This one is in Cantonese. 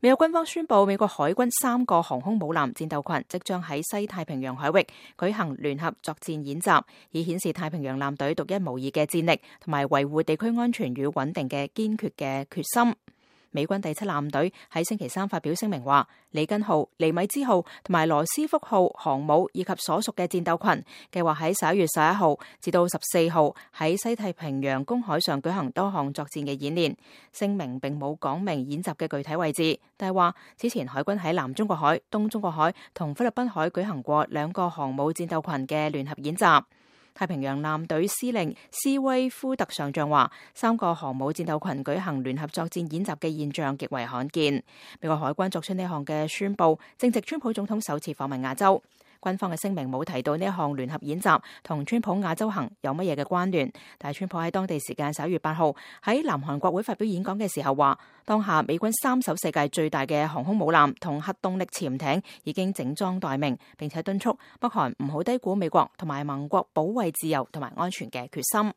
美國軍方宣布，美國海軍3個航空母艦戰鬥群即將喺西太平洋海域舉行聯合作戰演習，以顯示太平洋艦隊獨一無二嘅戰力同埋維護地區安全與穩定嘅堅決嘅決心。美軍第7艦隊喺星期3發表聲明話，里根號、尼米茲號同埋羅斯福號航母以及所屬嘅戰鬥群計劃喺11月11號至到14號喺西太平洋公海上舉行多項作戰嘅演練。聲明並冇講明演習嘅具體位置，但係話此前海軍喺南中國海、東中國海同菲律賓海舉行過2個航母戰鬥群嘅聯合演習。太平洋艦隊司令斯威夫特上將話，3個航母戰鬥群舉行聯合作戰演習嘅現象極為罕見。美國海軍作出呢項嘅宣佈，正值川普總統首次訪問亞洲。軍方嘅聲明冇提到呢一項聯合演習同川普亞洲行有乜嘢嘅關聯，但係川普喺當地時間11月8號喺南韓國會發表演講嘅時候話，當下美軍3艘世界最大嘅航空母艦同核動力潛艇已經整裝待命，並且敦促北韓唔好低估美國同埋盟國保衛自由同埋安全嘅決心。